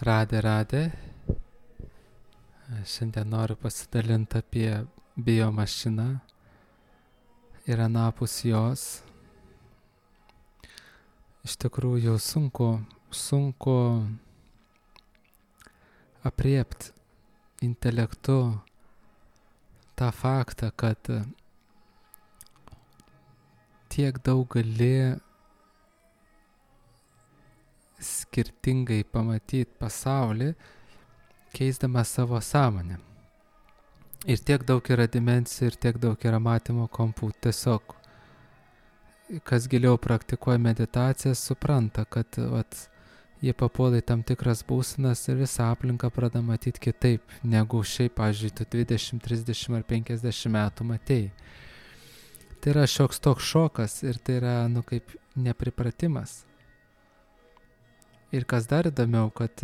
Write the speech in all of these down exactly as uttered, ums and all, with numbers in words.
Radė, radė. Šiandien noriu pasidalinti apie biomašiną ir anapus jos. Iš tikrųjų sunku, sunku apriepti intelektu tą faktą, kad tiek daug gali skirtingai pamatyti pasaulį, keisdamas savo sąmonę. Ir tiek daug yra dimensijų, ir tiek daug yra matymo kampų. Tiesiog, kas giliau praktikuoja meditacijas, supranta, kad vat, jie papuola į tam tikras būsenas ir visą aplinką pradeda matyti kitaip, negu šiaip, pavyzdžiui, tu dvidešimt, trisdešimt ar penkiasdešimt metų matei. Tai yra šioks toks šokas ir tai yra, nu, kaip nepripratimas. Ir kas dar įdomiau, kad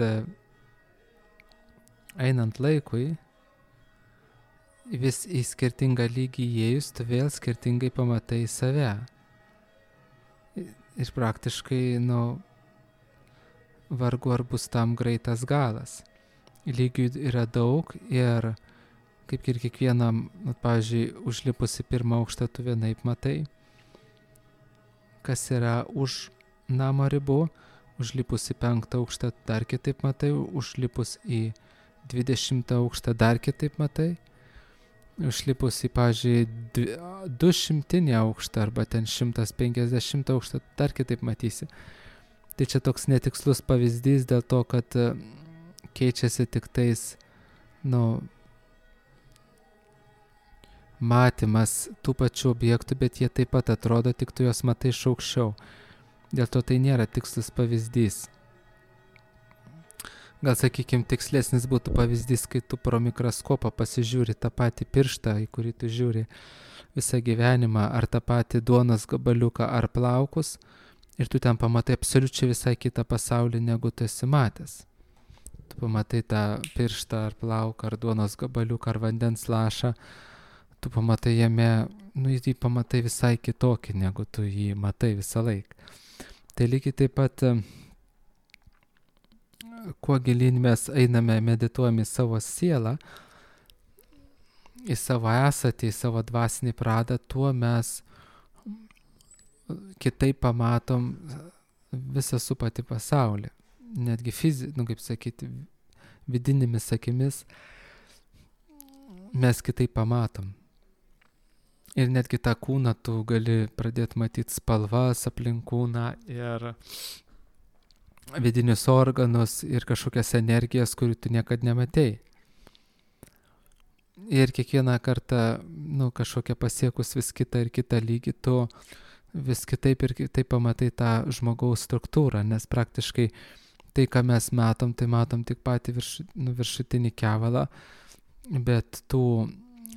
einant laikui, vis į skirtingą lygį įėjus, tu vėl skirtingai pamatai save. Ir praktiškai, nu, vargu ar bus tam greitas galas. Lygių yra daug ir kaip ir kiekvienam, nu, pavyzdžiui, užlipus į pirmą aukštą tu vienaip matai, kas yra už namo ribų, užlipus į penktą aukštą dar kitaip matai, užlipus į dvidešimtą aukštą dar kitaip matai, užlipus į, pavyzdžiui, du šimtinį aukštą arba ten šimtas penkiasdešimtą aukštą dar kitaip matysi. Tai čia toks netikslus pavyzdys dėl to, kad keičiasi tik tais, nu, matymas tų pačių objektų, bet jie taip pat atrodo, tik tu juos matai iš aukščiau. Dėl to tai nėra tikslus pavyzdys. Gal, sakykime, tikslesnis būtų pavyzdys, kai tu pro mikroskopą pasižiūri tą patį pirštą, į kurį tu žiūri visą gyvenimą, ar tą patį duonos gabaliuką, ar plaukus, ir tu ten pamatai absoliučiai visai kitą pasaulį, negu tu esi matęs. Tu pamatai tą pirštą, ar plauką, ar duonos gabaliuką, ar vandens lašą, tu pamatai jame, nu, jį pamatai visai kitokį, negu tu jį matai visą laiką. Tai lygiai taip pat, kuo gilyn mes einame, medituojame į savo sielą, į savo esatį, į savo dvasinį pradą, tuo mes kitaip pamatom visą supatį pasaulį. Netgi fizi, nu, kaip sakyti, vidinėmis akimis mes kitaip pamatom. Ir netgi tą kūną tu gali pradėti matyti spalvas aplink kūną ir vidinius organus ir kažkokias energijas, kurių tu niekad nematei. Ir kiekvieną kartą, nu, kažkokią pasiekus vis kitą ir kitą lygį, tu vis kitaip ir kitaip pamatai tą žmogaus struktūrą, nes praktiškai tai, ką mes matom, tai matom tik patį virš, nu, viršutinį kevalą, bet tų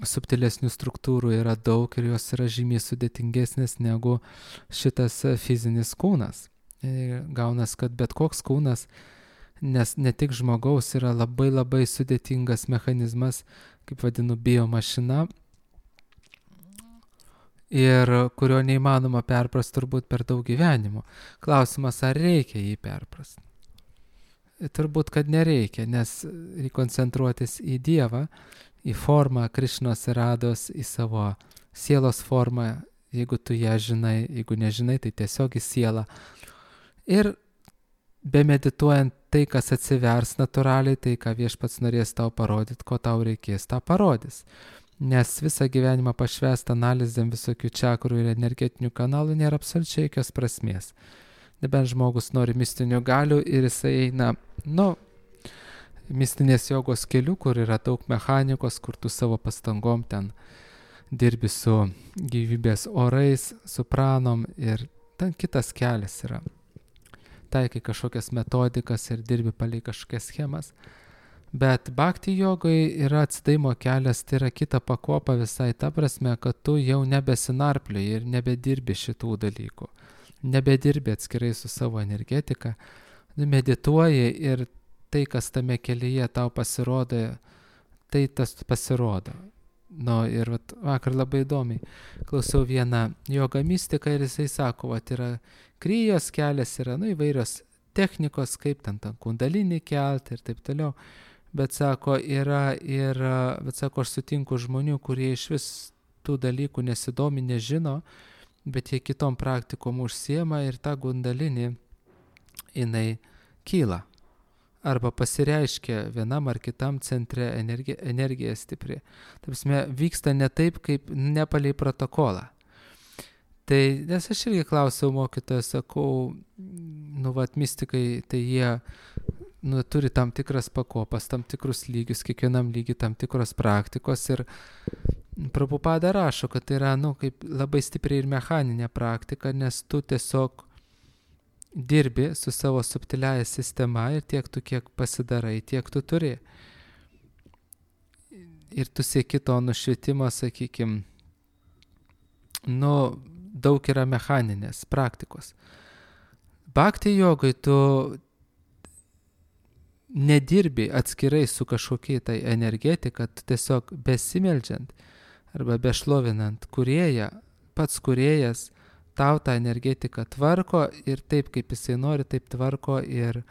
subtilesnių struktūrų yra daug ir jos yra žymiai sudėtingesnės negu šitas fizinis kūnas. Ir gaunas, kad bet koks kūnas, nes ne tik žmogaus, yra labai labai sudėtingas mechanizmas, kaip vadinu, biomašina, ir kurio neįmanoma perprast turbūt per daug gyvenimų. Klausimas, ar reikia jį perprast? Turbūt, kad nereikia, nes reikia koncentruotis į Dievą, į formą Krišnos ir Rados, į savo sielos formą, jeigu tu ją žinai, jeigu nežinai, tai tiesiog į sielą. Ir bemedituojant tai, kas atsivers natūraliai, tai, ką Viešpats norės tau parodyti, ko tau reikės, tą parodys. Nes visą gyvenimą pašvęst analizėm visokių čakrų ir energetinių kanalų nėra absoliučiai jokios prasmės. Nebent žmogus nori mistinių galių ir jisai eina, nu, mistinės jogos keliu, kur yra daug mechanikos, kur tu savo pastangom ten dirbi su gyvybės orais, su pranom ir ten kitas kelias yra. Taikai kažkokias metodikas ir dirbi palei kažkokias schemas. Bet bhakti jogai yra atsidavimo kelias, tai yra kita pakopa visai ta prasme, kad tu jau nebesinarplioji ir nebedirbi šitų dalykų. Nebedirbi atskirai su savo energetika, medituoji ir tai, kas tame kelyje tau pasirodo, tai tas pasirodo. Nu, ir vat, vakar labai įdomiai klausiau vieną joga mistiką ir jisai sako, vat yra kryjos kelias, yra, nu, įvairios technikos, kaip ten tą kundalinį kelti ir taip toliau. Bet sako, yra ir, bet sako, aš sutinku žmonių, kurie iš vis tų dalykų nesidomi, nežino, bet jie kitom praktikom užsiema ir tą kundalinį jinai kyla. Arba pasireiškia vienam ar kitam centre energija, energija stipri. Taip prasme, vyksta ne taip, kaip ne palei protokolą. Tai, nes aš irgi klausiau mokytoją, sakau, nu, vat, mistikai, tai jie nu, turi tam tikras pakopas, tam tikrus lygius, kiekvienam lygiui tam tikros praktikos ir Prabhupada rašo, kad tai yra, nu, kaip labai stipriai ir mechaninė praktika, nes tu tiesiog dirbi su savo subtiliaja sistema ir tiek tu kiek pasidarai, tiek tu turi. Ir tu sieki to nušvietimo, sakykim, nu, daug yra mechaninės praktikos. Bhakti jogai tu nedirbi atskirai su kažkokia tai energetika, tu tiesiog besimeldžiant arba bešlovinant kūrėją, pats kūrėjas tau tą energetiką tvarko ir taip, kaip jisai nori, taip tvarko ir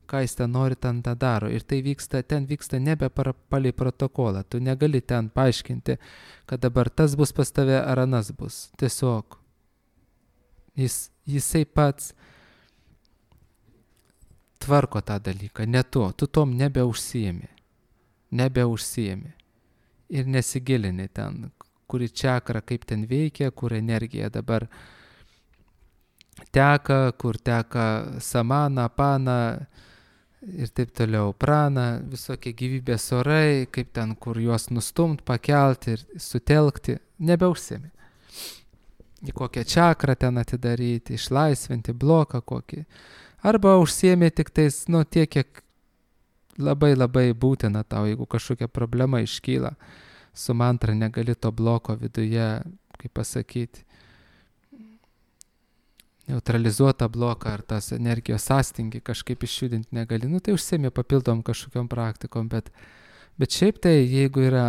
ką jis ten nori, ten tą daro. Ir tai vyksta, ten vyksta nebe palei protokolą. Tu negali ten paaiškinti, kad dabar tas bus pas tave ar anas bus. Tiesiog jis, jisai pats tvarko tą dalyką, ne tu. Tu tom nebeužsiemi. Nebeužsiemi. Ir nesigilini ten, kuri čakra, kaip ten veikia, kur energija dabar teka, kur teka samana, pana ir taip toliau, prana, visokie gyvybės orai, kaip ten, kur juos nustumt, pakelti ir sutelkti, nebeužsiemi. Į kokią čakrą ten atidaryti, išlaisvinti bloką kokį. Arba užsiemi tik tais, nu, tiek, kiek labai labai būtina tau, jeigu kažkokia problema iškyla. Su mantra negali to bloko viduje, kaip pasakyti, neutralizuotą bloką ar tas energijos sąstingį kažkaip išjudinti negali. Nu, tai užsiemi papildom kažkokiom praktikom, bet, bet šiaip tai, jeigu yra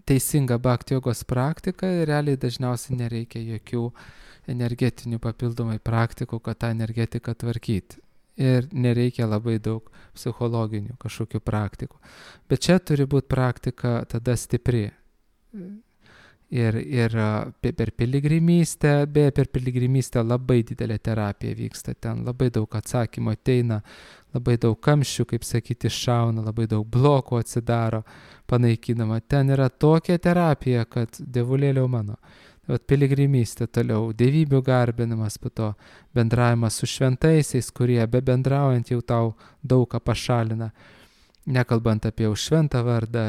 teisinga bhakti jogos praktika, realiai dažniausiai nereikia jokių energetinių papildomai praktikų, kad tą energetiką tvarkyti. Ir nereikia labai daug psichologinių kažkokių praktikų. Bet čia turi būti praktika tada stipri. Ir, ir per piligrimystę, beje, per piligrimystę labai didelė terapija vyksta. Ten labai daug atsakymų ateina, labai daug kamščių, kaip sakyti, šauna, labai daug blokų atsidaro, panaikinama. Ten yra tokia terapija, kad dievulėliau mano. Vat piligrimystė toliau, dievybių garbinimas, po to bendravimas su šventaisiais, kurie be bendraujant jau tau daug ką pašalina, nekalbant apie jau šventą vardą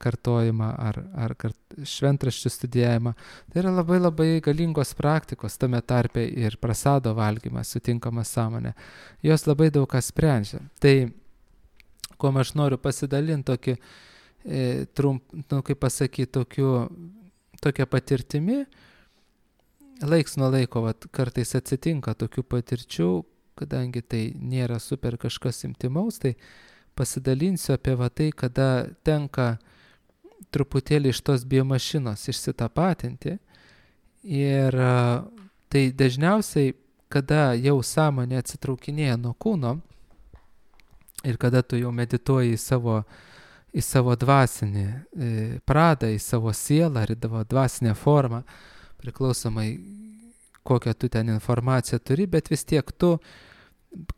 kartojimą ar, ar kart, šventraščių studijavimą. Tai yra labai labai galingos praktikos, tame tarpe ir prasado valgymas, sutinkamas sąmonė. Jos labai daug ką sprendžia. Tai, kuo aš noriu pasidalinti tokį, e, trump, nu, kaip pasakyti, tokiu, tokia patirtimi, laiks nuo laiko vat, kartais atsitinka tokių patirčių, kadangi tai nėra super kažkas intimaus, tai pasidalinsiu apie va tai, kada tenka truputėlį iš tos biomašinos išsitapatinti. Ir tai dažniausiai, kada jau sąmonė atsitraukinėja nuo kūno ir kada tu jau medituoji į savo, į savo dvasinį e, pradą, į savo sielą ar į savo dvasinę formą, priklausomai kokią tu ten informaciją turi, bet vis tiek tu,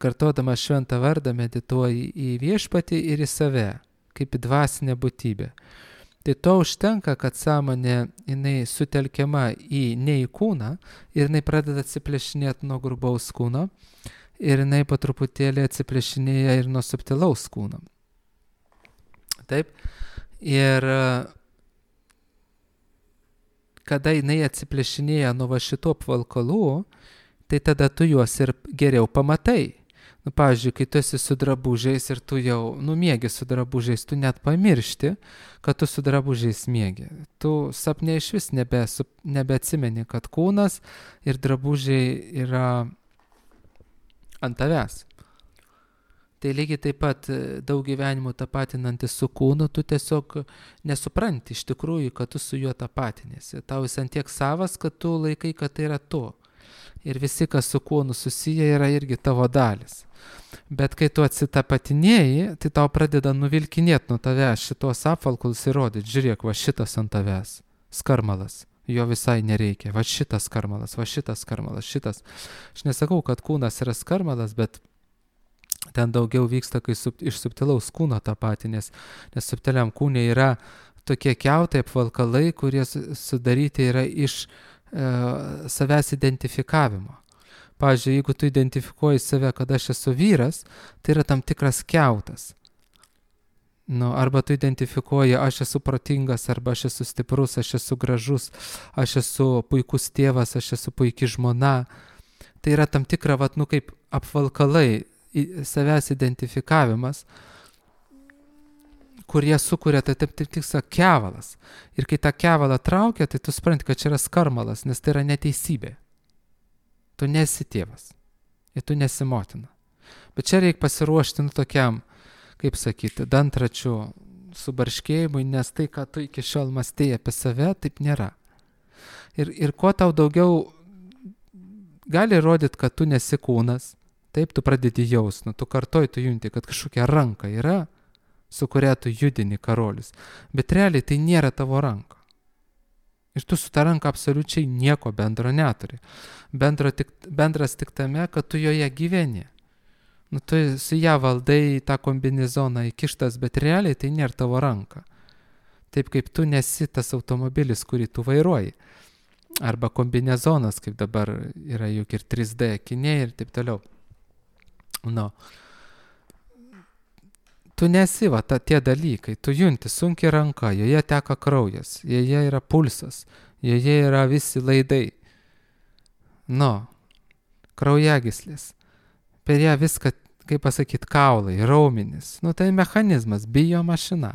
kartodamas šventą vardą, medituoji į viešpatį ir į save, kaip į dvasinę būtybę. Tai to užtenka, kad sąmonė jinai sutelkiama į, ne į kūną ir jinai pradeda atsiplėšinėti nuo grubaus kūno ir jinai po truputėlį atsiplėšinėja ir nuo subtilaus kūno. Taip. Ir kada jinai atsiplėšinėja nuo va šitų apvalkalų, tai tada tu juos ir geriau pamatai. Nu, pavyzdžiui, kai tu esi su drabužiais ir tu jau numiegi su drabužiais, tu net pamiršti, kad tu su drabužiais miegi. Tu sapne iš vis nebe, nebeatsimeni, kad kūnas ir drabužiai yra ant tavęs. Tai lygiai taip pat daug gyvenimų tapatinantis su kūnu, tu tiesiog nesupranti iš tikrųjų, kad tu su juo tapatinėsi. Tau jis ant tiek savas, kad tu laikai, kad tai yra tu. Ir visi, kas su kūnu susiję, yra irgi tavo dalis. Bet kai tu atsitapatinėjai, tai tau pradeda nuvilkinėti nuo tavęs šitos apvalkalus ir rodyti, žiūrėk, va šitas ant tavęs, skarmalas, jo visai nereikia, va šitas skarmalas, va šitas skarmalas, šitas. Aš nesakau, kad kūnas yra skarmalas, bet ten daugiau vyksta, kai sub, iš subtilaus kūno tapatinės, nes subtiliam kūne yra tokie kiautai apvalkalai, kurie sudaryti yra iš e, savęs identifikavimo. Pavyzdžiui, jeigu tu identifikuoji save, kad aš esu vyras, tai yra tam tikras kiautas. Nu, arba tu identifikuoji, aš esu protingas, arba aš esu stiprus, aš esu gražus, aš esu puikus tėvas, aš esu puiki žmona. Tai yra tam tikra, vat, nu, kaip apvalkalai, savęs identifikavimas, kurie sukuria tai taip tik tiksą kevalas. Ir kai tą kevalą traukia, tai tu supranti, kad čia yra skarmalas, nes tai yra neteisybė. Tu nesi tėvas ir tu nesi motina. Bet čia reikia pasiruošti nu tokiam, kaip sakyti, dantračių subarškėjimui, nes tai, ką tu iki šiol mąstėjai apie save, taip nėra. Ir, ir kuo tau daugiau gali rodyti, kad tu nesi kūnas, taip tu pradedi jaust, nu tu kartoj tu junti, kad kažkokia ranka yra, su kuria tu judini karolius. Bet realiai tai nėra tavo ranka. Ir tu su ta ranka absoliučiai nieko bendro neturi. Bendro tik, bendras tik tame, kad tu joje gyveni. Nu, tu su ją valdai tą kombinezoną įkištas, bet realiai tai nėra tavo ranka. Taip kaip tu nesi tas automobilis, kurį tu vairuoji. Arba kombinezonas, kaip dabar yra juk ir trys D akiniai ir taip toliau. Nu. Tu nesi, va, ta, tie dalykai, tu junti sunkiai ranka, joje teka kraujas, joje yra pulsas, joje yra visi laidai. Nu, kraujagyslės. Per ją viską, kaip pasakyti, kaulai, raumenis. Nu, tai mechanizmas, bio mašina,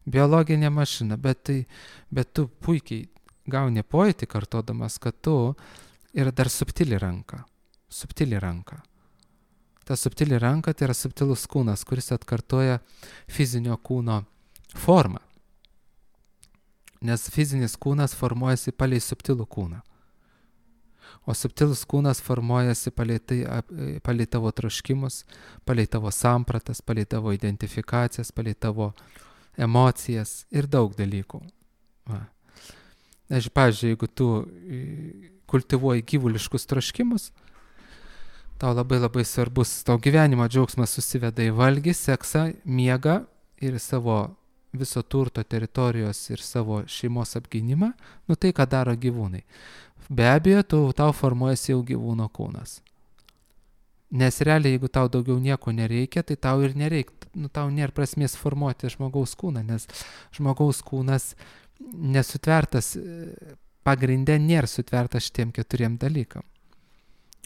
biologinė mašina, bet, tai, bet tu puikiai gauni pojūtį kartodamas, kad tu yra dar subtili ranka, subtili ranka. Ta subtili ranka tai yra subtilus kūnas, kuris atkartoja fizinio kūno formą. Nes fizinis kūnas formuojasi palei subtilų kūną. O subtilus kūnas formuojasi palei, tai, palei tavo troškimus, palei tavo sampratas, palei tavo identifikacijas, palei tavo emocijas ir daug dalykų. Va. Aš, pavyzdžiui, jeigu tu kultivuoji gyvuliškus troškimus, tau labai labai svarbus, tau gyvenimo džiaugsmas susiveda į valgį, seksą, miegą ir savo viso turto teritorijos ir savo šeimos apgynimą, nu tai, ką daro gyvūnai. Be abejo, tu, tau formuojasi jau gyvūno kūnas. Nes realiai, jeigu tau daugiau nieko nereikia, tai tau ir nereikia, nu tau nėra prasmės formuoti žmogaus kūną, nes žmogaus kūnas nesutvertas, pagrinde nėra sutvertas šitiem keturiem dalykam.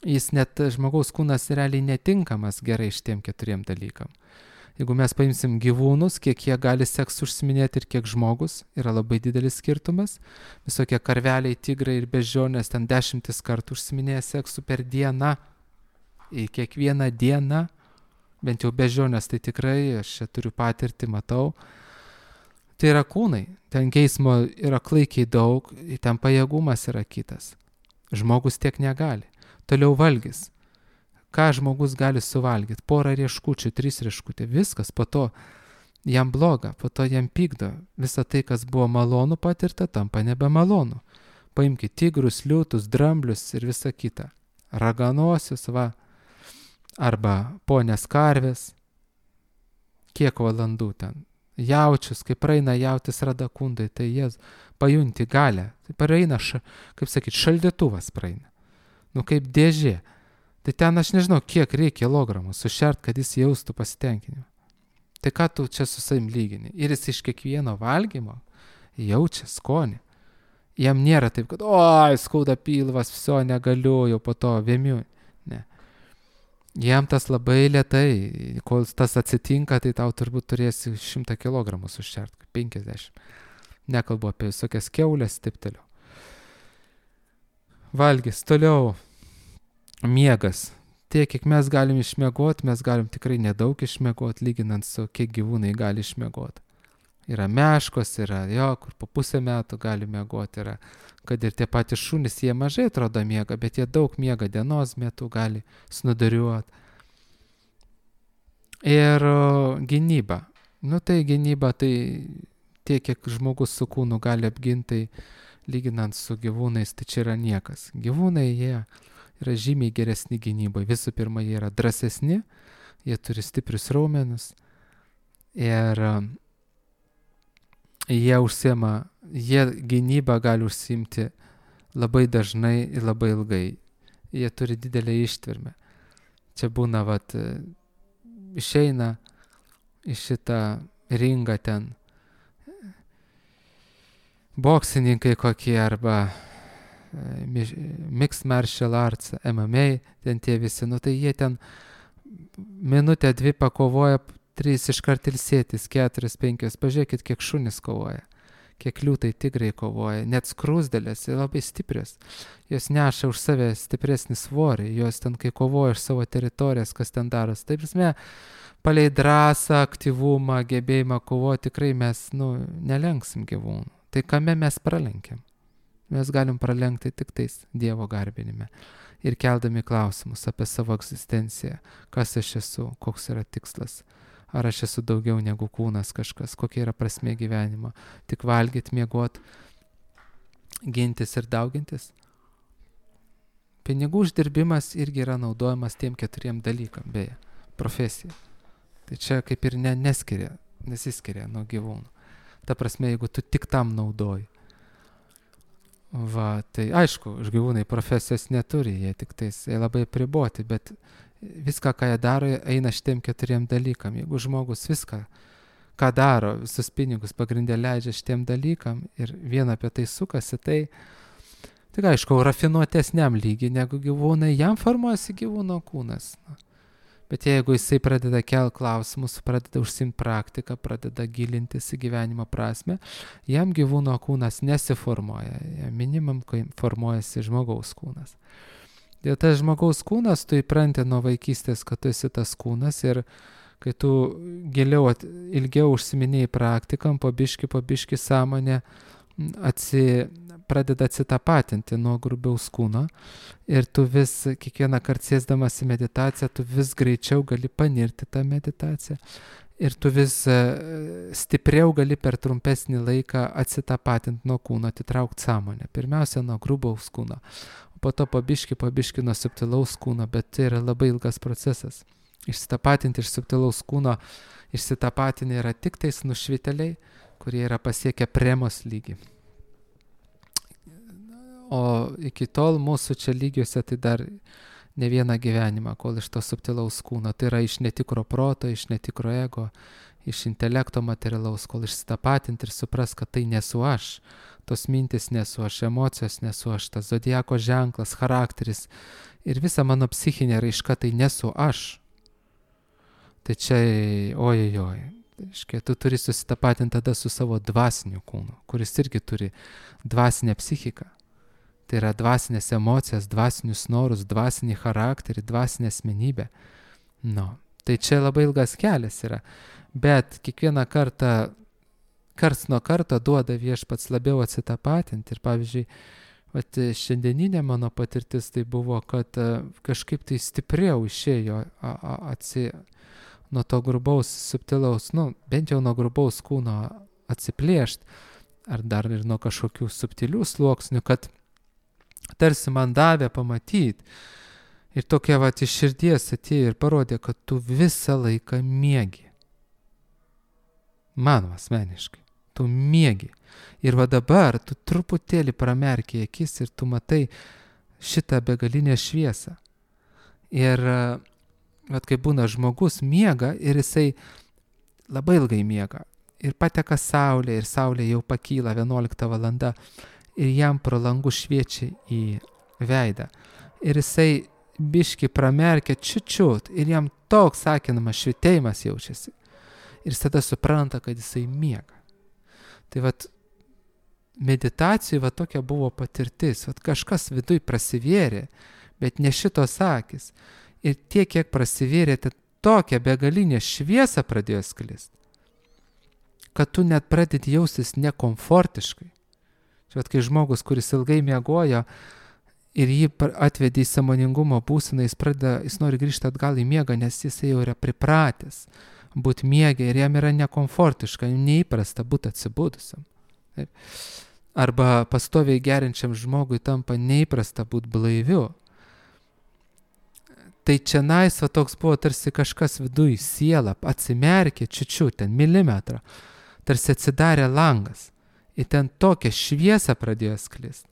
Jis net žmogaus kūnas realiai netinkamas gerai šitiem keturiem dalykam. Jeigu mes paimsim gyvūnus, kiek jie gali seksu užsiminėti ir kiek žmogus, yra labai didelis skirtumas. Visokie karveliai, tigrai ir beždžionės ten dešimtis kartų užsiminėja seksu per dieną. Į kiekvieną dieną, bent jau beždžionės, tai tikrai, aš čia turiu patirtį, matau. Tai yra kūnai, ten geismo yra klaikiai daug, ten pajėgumas yra kitas. Žmogus tiek negali. Toliau valgys. Ką žmogus gali suvalgyti? Porą rieškučių, trys rieškutė, viskas, po to jam bloga, po to jam pykdo. Visa tai, kas buvo malonu patirta, tampa nebemalonu. Paimkite tigrus, liūtus, dramblius ir visa kita. Raganosius, va, arba ponės karvės. Kiek valandų ten? Jaučius, kai praeina jautis radakundai, tai jie pajunti galę. Tai praeina, ša, kaip sakyti, šaldytuvas praeina. Nu kaip dėžė. Tai ten aš nežinau, kiek reikia kilogramų sušert, kad jis jaustų pasitenkinimą. Tai ką tu čia su savim lygini? Ir jis iš kiekvieno valgymo jaučia skonį. Jam nėra taip, kad oi, skauda pilvas, viso negaliu, jau po to vėmiu. Ne. Jam tas labai lėtai, kol tas atsitinka, tai tau turbūt turėsi šimtą kilogramų sušert, penkiasdešimt. Nekalbu apie visokias kiaulės, taip toliau. Valgys, toliau. Miegas. Tiek, kiek mes galim išmiegoti, mes galim tikrai nedaug išmiegoti, lyginant su kiek gyvūnai gali išmiegoti. Yra meškos, yra jo, kur po pusę metų gali miegoti, yra kad ir tie patys šunys, jie mažai atrodo miega, bet jie daug miega dienos metu, gali snuduriuoti. Ir gynyba. Nu tai gynyba, tai tiek, kiek žmogus su kūnu gali apginti, lyginant su gyvūnais, tai čia yra niekas. Gyvūnai, jie yra žymiai geresni gynybai. Visų pirma, jie yra drąsesni, jie turi stiprius raumenus ir jie užsiema, jie gynybą gali užsiimti labai dažnai ir labai ilgai. Jie turi didelę ištvermę. Čia būna, vat, išeina į šitą ringą ten boksininkai kokie arba mixed martial arts, M M A, ten tie visi, nu tai jie ten minutę, dvi pakovoja, trys iškart ilsėtis, keturias, penkias, pažiūrėkit, kiek šunys kovoja, kiek liūtai tigrai kovoja, net skrusdelės, labai stiprios, jos neša už save stipresnį svorį, jos ten kai kovoja iš savo teritorijas, kas ten daros, taip prasme, palei drąsą, aktyvumą, gebėjimą kovoti, tikrai mes, nu, nelenksim gyvūnų. Tai kame mes pralenkiam? Mes galim pralenkti tik tais Dievo garbinime ir keldami klausimus apie savo egzistenciją, kas aš esu, koks yra tikslas, ar aš esu daugiau negu kūnas kažkas, kokia yra prasmė gyvenimo, tik valgyt, miegot, gintis ir daugintis. Pinigų uždirbimas irgi yra naudojamas tiem keturiem dalykam, beje, profesija. Tai čia kaip ir ne, neskiria, nesiskiria nuo gyvūnų. Ta prasme, jeigu tu tik tam naudoji. Va, tai aišku, gyvūnai profesijos neturi, jie tik tais, jie labai priboti, bet viską, ką jie daro, eina šitiem keturiem dalykam. Jeigu žmogus viską, ką daro, visus pinigus pagrindė leidžia šitiem dalykam ir vien apie tai sukasi, tai tik aišku, rafinuotesniam lygiai negu gyvūnai, jam formuojasi gyvūno kūnas. Bet jeigu jisai pradeda kelt klausimus, pradeda užsiimti praktiką, pradeda gilintis į gyvenimo prasme, jam gyvūno kūnas nesiformuoja, jam minimum formuojasi žmogaus kūnas. Dėl tas žmogaus kūnas, tu įpranti nuo vaikystės, kad tu esi tas kūnas ir kai tu giliau, ilgiau užsiminėjai praktikam, po biški, po biški sąmonė atsi, pradeda atsitapatinti nuo grubiaus kūno ir tu vis, kiekvieną kartą sėsdamas į meditaciją, tu vis greičiau gali panirti tą meditaciją ir tu vis stipriau gali per trumpesnį laiką atsitapatinti nuo kūno, atitraukti sąmonę. Pirmiausia, nuo grubaus kūno, o po to pabiški, pabiški nuo subtilaus kūno, bet tai yra labai ilgas procesas. Išsitapatinti iš subtilaus kūno, išsitapatinti yra tik tais nušviteliai, kurie yra pasiekę premos lygį. O iki tol mūsų čia lygiuose tai dar ne vieną gyvenimą, kol iš to subtilaus kūno, tai yra iš netikro proto, iš netikro ego, iš intelekto materialaus, kol išsitapatinti ir supras, kad tai nesu aš, tos mintis nesu aš, emocijos nesu aš, tas zodiako ženklas, charakteris ir visa mano psichinė raiška tai nesu aš. Tai čia, ojojoj, Iškia, tu turi susitapatinti tada su savo dvasiniu kūnu, kuris irgi turi dvasinę psichiką. Tai yra dvasinės emocijas, dvasinius norus, dvasinį charakterį, dvasinę asmenybę. No, tai čia labai ilgas kelias yra. Bet kiekvieną kartą, karts nuo karto duoda Viešpats labiau atsitapatinti. Ir pavyzdžiui, vat, šiandieninė mano patirtis tai buvo, kad kažkaip tai stipriau išėjo a, a, atsi... nuo to grubaus, subtilaus, nu, bent jau nuo grubaus kūno atsiplėšt, ar dar ir nuo kažkokių subtilių sluoksnių, kad tarsi man davė pamatyti. Ir tokia vat iš širdies atėjo ir parodė, kad tu visą laiką miegi. Man asmeniškai, tu miegi. Ir va dabar tu truputėlį pramerki akis ir tu matai šitą begalinę šviesą. Ir vat kai būna žmogus miega ir jisai labai ilgai miega ir pateka saulė ir saulė jau pakyla vienuolikta valanda ir jam pro langų šviečia į veidą ir jisai biški pramerkia čiučiut ir jam toks sakinamas švitėjimas jaučiasi ir jis tada supranta, kad jisai miega. Tai vat meditacijai va tokia buvo patirtis, vat kažkas viduj prasivėrė, bet ne šitos akis. Ir tiek, kiek prasivėrė, tai tokia begalinė šviesa pradėjo sklist, kad tu net pradedi jaustis nekomfortiškai. Čia Bet kai žmogus, kuris ilgai miegojo ir jį atvedė į sąmoningumo būseną, jis pradeda, jis nori grįžti atgal į miegą, nes jis jau yra pripratęs būti miegę ir jam yra nekomfortiška, neįprasta būti atsibudusiam. Taip. Arba pastoviai gerinčiam žmogui tampa neįprasta būti blaiviu. Tai čia nais, va toks buvo tarsi kažkas viduj, siela, atsimerkė čiučiu, ten milimetrą, tarsi atsidarė langas. Ir ten tokią šviesą pradėjo sklisti.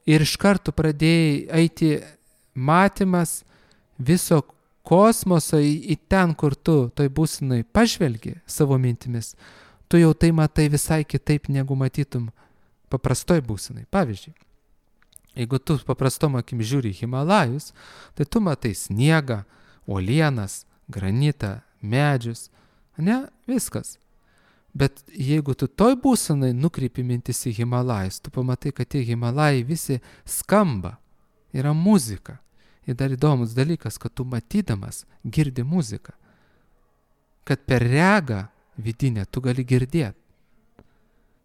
Ir iš karto pradėjai eiti matymas viso kosmoso į, į ten, kur tu toj būsenai pažvelgi savo mintimis. Tu jau tai matai visai kitaip, negu matytum paprastoj būsenai. Pavyzdžiui, jeigu tu paprastom akim žiūri Himalajus, tai tu matai sniegą, uolienas, granitą, medžius. Ne, viskas. Bet jeigu tu toj būsenai nukreipi mintis į Himalajus, tu pamatai, kad tie Himalajai visi skamba, yra muzika. Ir dar įdomus dalykas, kad tu matydamas girdi muziką. Kad per regą vidinę tu gali girdėti.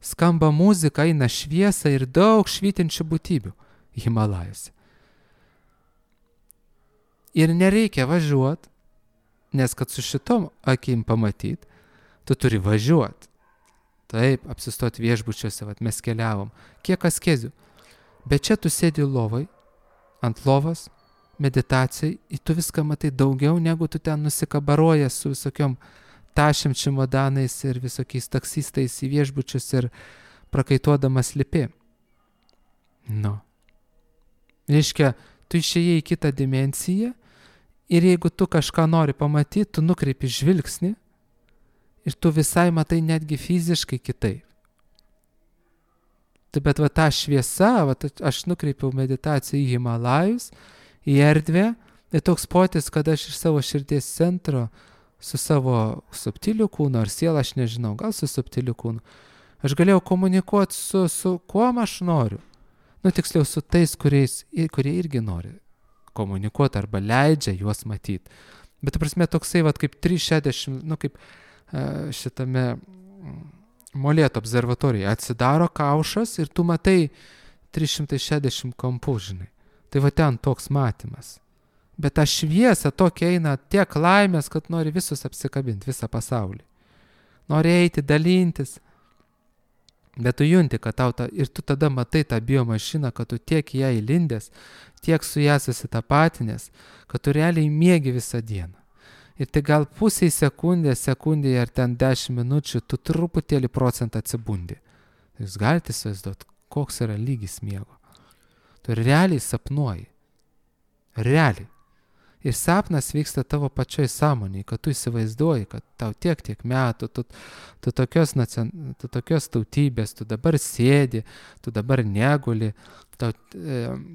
Skamba muzika, eina šviesa ir daug švytinčių būtybių Himalajuose. Ir nereikia važiuoti, nes kad su šitom akim pamatyt, tu turi važiuoti. Taip, apsistoti viešbučiuose, vat mes keliavom. Kiek askezių. Bet čia tu sėdi lovai, ant lovos, meditacijai, ir tu viską matai daugiau, negu tu ten nusikabaroja su visokiom tašiam čimodanais ir visokiais taksistais į viešbučius ir prakaituodamas lipi. Nu. Reiškia, tu išėjai į kitą dimensiją ir jeigu tu kažką nori pamatyti, tu nukreipi žvilgsnį ir tu visai matai netgi fiziškai kitaip. Tai bet va ta šviesa, va, aš nukreipiau meditaciją į Himalajus, į erdvę, tai toks potis, kad aš iš savo širdies centro su savo subtiliu kūnu ar siela, aš nežinau, gal su subtiliu kūnu, aš galėjau komunikuoti su, su kuom aš noriu. Nu, tiksliau, su tais, kuriais, kurie irgi nori komunikuoti arba leidžia juos matyti. Bet, ta prasme, toksai, va, kaip trys šešiasdešimt, nu, kaip šitame Molėtų observatorijoje atsidaro kaušas ir tu matai trys šimtai šešiasdešimt kampų, žinai. Tai va ten toks matymas. Bet ta šviesa tokia eina tiek laimės, kad nori visus apsikabinti, visą pasaulį. Nori eiti, dalintis. Bet tu junti, kad tau ta, ir tu tada matai tą biomašiną, kad tu tiek ją įlindęs, tiek su ją susitapatinęs, kad tu realiai miegi visą dieną. Ir tai gal pusiai sekundės, sekundėje ar ten dešimt minučių, tu truputėlį procentą atsibundi. Jūs galite įsivaizduoti, koks yra lygis miego. Tu realiai sapnuoji. Realiai. Ir sapnas vyksta tavo pačioj sąmonėje, kad tu įsivaizduoji, kad tau tiek, tiek metų, tu, tu, tokios, tu tokios tautybės, tu dabar sėdi, tu dabar neguli, tau,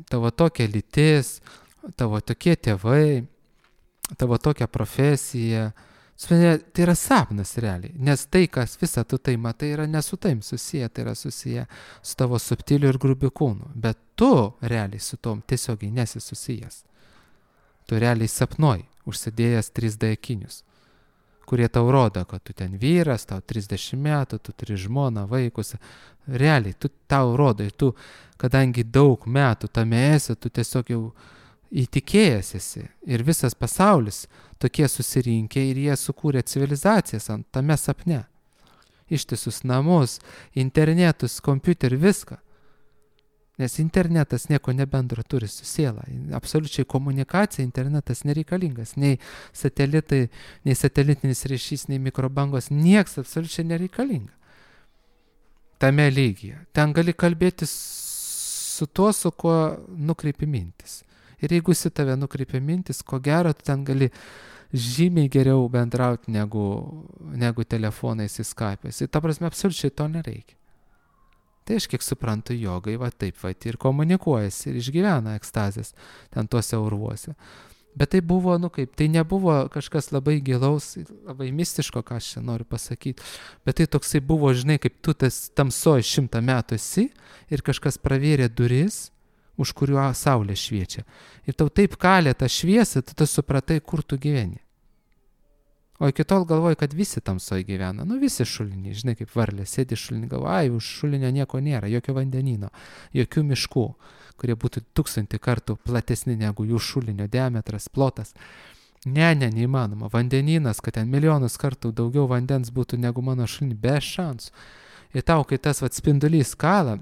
tavo tokia lytis, tavo tokie tėvai, tavo tokia profesija. Tai yra sapnas realiai, nes tai, kas visą tu tai matai, yra ne su taim susiję, tai yra susiję su tavo subtiliu ir grubiu kūnu. Bet tu realiai su tom tiesiogiai nesi susijęs. Tu realiai sapnuoji, užsidėjęs trys D akinius, kurie tau rodo, kad tu ten vyras, tau trisdešimt metų, tu turi žmoną, vaikus. Realiai, tu tau rodo, ir tu, kadangi daug metų tame esi, tu tiesiog jau įtikėjęs esi. Ir visas pasaulis tokie susirinkė ir jie sukūrė civilizacijas ant tame sapne. Ištisus namus, internetus, kompiuterį, viską. Nes internetas nieko nebendro turi su siela. Absoliučiai komunikacija, internetas nereikalingas. Nei satelitai, nei satelitinis ryšys, nei mikrobangos, nieks absoliučiai nereikalinga. Tame lygyje. Ten gali kalbėti su tuo, su kuo nukreipi mintis. Ir jeigu į tave nukreipia mintis, ko gero, tu ten gali žymiai geriau bendrauti negu, negu telefonais į Skype'ais. Ir ta prasme, absoliučiai to nereikia. Tai aš kiek suprantu, jogai va taip va ir komunikuojasi ir išgyvena ekstazės ten tuose urvuose. Bet tai buvo, nu kaip, tai nebuvo kažkas labai gilaus, labai mistiško, ką aš čia noriu pasakyti. Bet tai toksai buvo, žinai, kaip tu tas tamsoj šimtą metų esi ir kažkas pravėrė duris, už kuriuo saulė šviečia. Ir tau taip kalė tą šviesą, tu supratai, kur tu gyveni. O iki tol galvoju, kad visi tamsoj gyvena. Nu, visi šuliniai, žinai, kaip varlė, sėdi šulinį, galvoju, ai, už šulinio nieko nėra, jokio vandenino, jokių miškų, kurie būtų tūkstantį kartų platesni negu jų šulinio diametras, plotas. Ne, ne, neįmanoma. Vandeninas, kad ten milijonus kartų daugiau vandens būtų negu mano šulinį, be šansų. Ir tau, kai tas vat spindulys kala,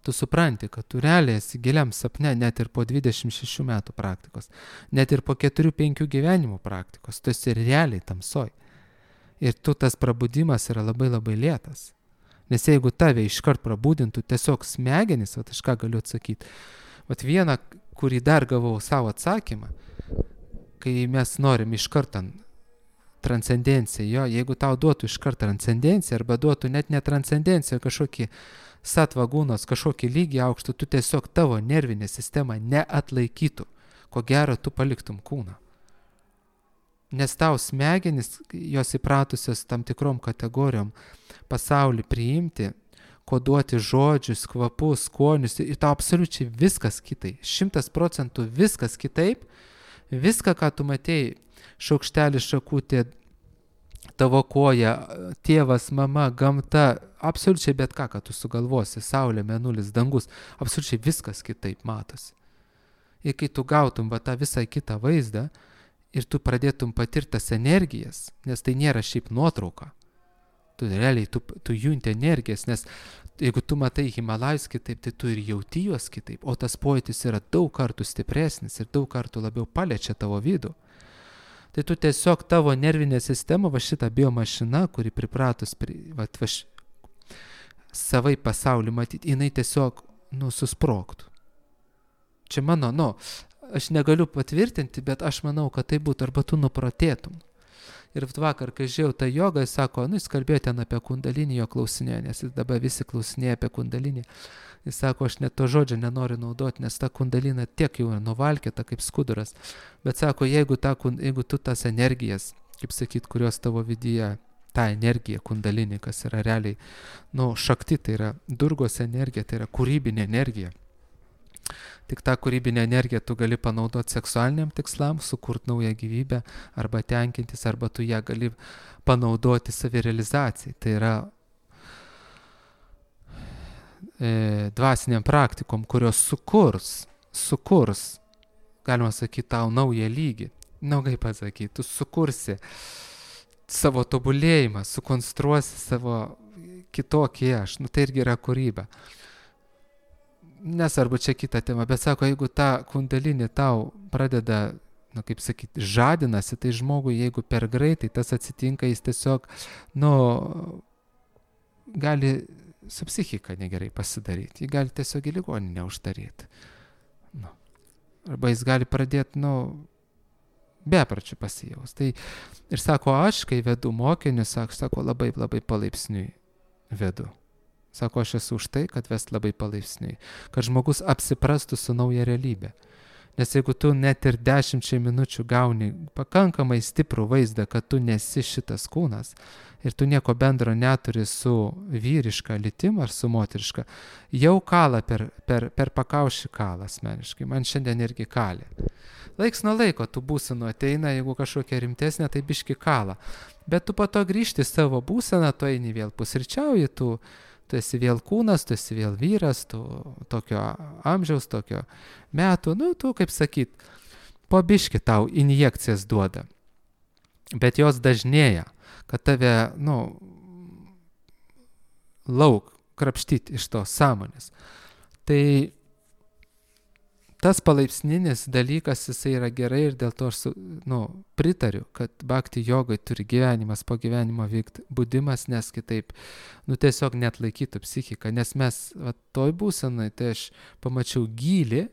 tu supranti, kad tu realiai esi giliam sapne net ir po dvidešimt šešių metų praktikos, net ir po keturių penkių gyvenimų praktikos, tu esi realiai tamsoj. Ir tu tas prabudimas yra labai labai lėtas. Nes jeigu tave iškart prabudintų tiesiog smegenys, vat aš ką galiu atsakyti, vat vieną, kurį dar gavau savo atsakymą, kai mes norim iškart ant transcendenciją, jo, jeigu tau duotų iškart transcendenciją arba duotų net ne transcendenciją, kažkokį satvagūnos kažkokį lygį aukštą, tu tiesiog tavo nervinė sistema neatlaikytų, ko gero tu paliktum kūną. Nes tau smegenis, jos įpratusios tam tikrom kategorijom pasaulį priimti, koduoti žodžius, kvapus, skonius, ir tau absoliučiai viskas kitaip, šimtas procentų viskas kitaip, viską, ką tu matėjai, šaukštelis, šakutė, tavo koja, tėvas, mama, gamta, absoliučiai bet ką, ką tu sugalvosi, saulė, mėnulis, dangus, absoliučiai viskas kitaip matosi. Ir kai tu gautum va tą visą kitą vaizdą ir tu pradėtum patirti tas energijas, nes tai nėra šiaip nuotrauka, tu realiai, tu, tu junti energijas, nes jeigu tu matai Himalajus kitaip, tai tu ir jauti juos kitaip, o tas pojūtis yra daug kartų stipresnis ir daug kartų labiau paliečia tavo vidų. Tai tu tiesiog tavo nervinė sistema, va šita biomašina, kuri pripratus pri, va, va, savai pasaulį matyti, jinai tiesiog, nu, susprogtų. Čia mano, nu, aš negaliu patvirtinti, bet aš manau, kad tai būtų, arba tu nuprotėtum. Ir vakar, kai žiūrėjau tą jogą, jis sako, nu, jis kalbėjo ten apie kundalinį, jo klausinėjo, nes jis dabar visi klausinėjo apie kundalinį. Jis sako, aš net to žodžio nenoriu naudoti, nes ta kundalina tiek jau nuvalkėta kaip skuduras. Bet sako, jeigu, ta, jeigu tu tas energijas, kaip sakyt, kurios tavo vidyje, ta energija kundalinį, kas yra realiai, nu, šakti, tai yra durgos energija, tai yra kūrybinė energija. Tik tą kūrybinę energiją tu gali panaudoti seksualiniam tikslam, sukurti naują gyvybę, arba tenkintis, arba tu ją gali panaudoti savirealizacijai. Tai yra e, dvasiniam praktikom, kurios sukurs, sukurs, galima sakyti, tau naują lygį. Na, kaip pasakyti, tu sukursi savo tobulėjimą, sukonstruosi savo kitokį aš. Nu, tai irgi yra kūryba. Nesvarbu čia kita tema, bet sako, jeigu ta kundalinė tau pradeda, nu, kaip sakyti, žadinasi, tai žmogui, jeigu per greitai tas atsitinka, jis tiesiog, nu, gali su psichika negerai pasidaryti, jį gali tiesiog į ligoninę uždaryti. Nu. Arba jis gali pradėti, nu, bepračių pasijaus. Tai ir sako, aš, kai vedu mokinius, sako, sako labai, labai palaipsniui vedu. Sako, aš esu už tai, kad vest labai palaipsniui, kad žmogus apsiprastų su nauja realybė. Nes jeigu tu net ir dešimčiai minučių gauni pakankamai stiprų vaizdą, kad tu nesi šitas kūnas ir tu nieko bendro neturi su vyriška lytim ar su moteriška, jau kala per, per, per pakaušį kala asmeniškai. Man šiandien irgi kalė. Laiks nuo laiko tu būsenu ateina, jeigu kažkokia rimtesnė, tai biški kala. Bet tu po to grįžti savo būseną, tu eini vėl pusryčiauji, tu Tu esi vėl kūnas, tu esi vėl vyras, tu tokio amžiaus, tokio metų, nu, tu, kaip sakyt, po biški tau injekcijas duoda. Bet jos dažnėja, kad tave, nu, lauk krapštyti iš to sąmonės. Tai tas palaipsninis dalykas, jisai yra gerai ir dėl to aš, nu, pritariu, kad bhakti jogai turi gyvenimas po gyvenimo vykti budimas, nes kitaip, nu, tiesiog net laikytų psichiką, nes mes, va, toj būsenai, tai aš pamačiau gylį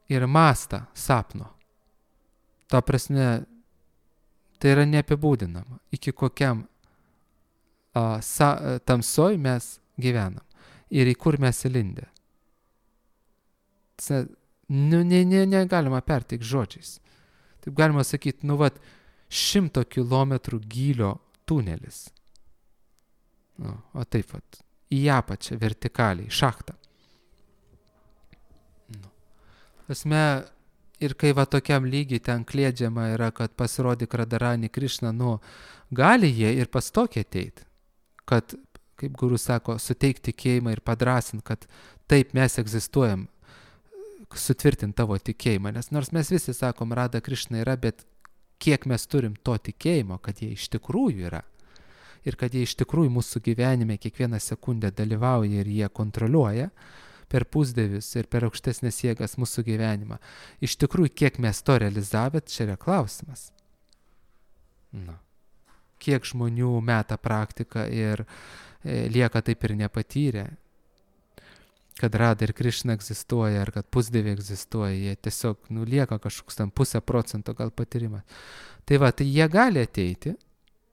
ir mastą sapno. Ta prasme, tai yra neapibūdinama, iki kokiam a, sa, tamsoj mes gyvenam ir į kur mes įlindę. Nu, ne, ne, negalima perteikti žodžiais. Taip galima sakyti, nu, vat, šimto kilometrų gylio tunelis. Nu, o taip, vat, į apačią vertikaliai, šachtą. Nu. Tasme, Ir kai va tokiam lygiai ten klėdžiama yra, kad pasirodyk Radharani Krišna, nu, gali jie ir pas tokį ateiti, kad, kaip guru sako, suteikti tikėjimą ir padrasinti, kad taip mes egzistuojam, sutvirtinti tavo tikėjimą. Nes nors mes visi sakom, Radha Krišna yra, bet kiek mes turim to tikėjimo, kad jie iš tikrųjų yra. Ir kad jie iš tikrųjų mūsų gyvenime kiekvieną sekundę dalyvauja ir jie kontroliuoja per pusdievius ir per aukštesnės jėgas mūsų gyvenimą. Iš tikrųjų, kiek mes to realizavę, čia yra klausimas. Na. Kiek žmonių meta praktiką ir e, lieka taip ir nepatyrę, kad Radha ir Krišna egzistuoja, ar kad pusdieviai egzistuoja, jie tiesiog nu, lieka kažkoks tam pusę procento gal patyrimas. Tai va, tai jie gali ateiti,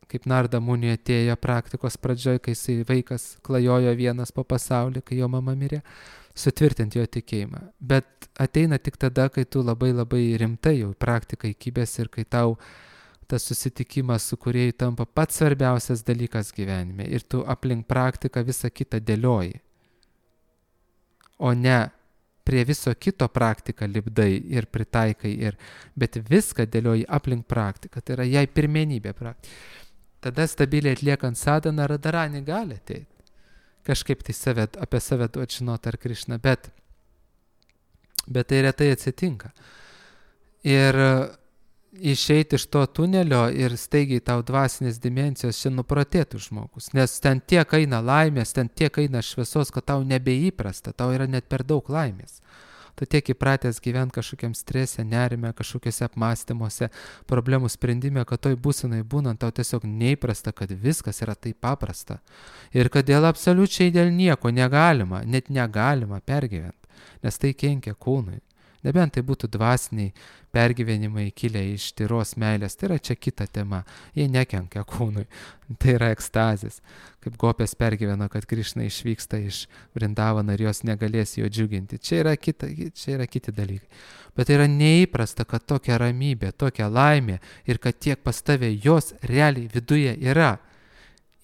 kaip Narda Muni atėjo praktikos pradžioj, kai jisai vaikas klajojo vienas po pasaulį, kai jo mama mirė, sutvirtinti jo tikėjimą. Bet ateina tik tada, kai tu labai labai rimtai jau praktiką įkibęs ir kai tau tas susitikimas su kūrėju tampa pats svarbiausias dalykas gyvenime ir tu aplink praktiką visą kitą dėlioji. O ne prie viso kito praktiką lipdai ir pritaikai, ir, bet viską dėlioji aplink praktiką, tai yra jai pirmenybė praktika. Tada stabiliai atliekant sadhaną Radharani gali ateiti. Kažkaip tai save, apie save duoti žinoti ar Krišną, bet, bet tai retai atsitinka. Ir išeiti iš to tunelio ir staigiai tau dvasinės dimensijos čia nuprotėtų žmogus, nes ten tiek eina laimės, ten tiek eina šviesos, kad tau nebeįprasta, tau yra net per daug laimės. Tu tiek įpratęs gyventi kažkokiam strese, nerime, kažkokiuose apmąstymuose, problemų sprendime, kad toj būsenai būnant tau tiesiog neįprasta, kad viskas yra taip paprasta. Ir kad dėl absoliučiai dėl nieko negalima, net negalima pergyventi, nes tai kenkia kūnui. Nebent tai būtų dvasiniai pergyvenimai kilę iš tyros meilės, tai yra čia kita tema, jie nekenkia kūnui, tai yra ekstazės. Kaip gopės pergyveno, kad Krišna išvyksta iš Vrindavano ir jos negalės jo džiuginti. Čia yra, kita, čia yra kiti dalykai. Bet tai yra neįprasta, kad tokia ramybė, tokia laimė ir kad tiek pas tave jos realiai viduje yra.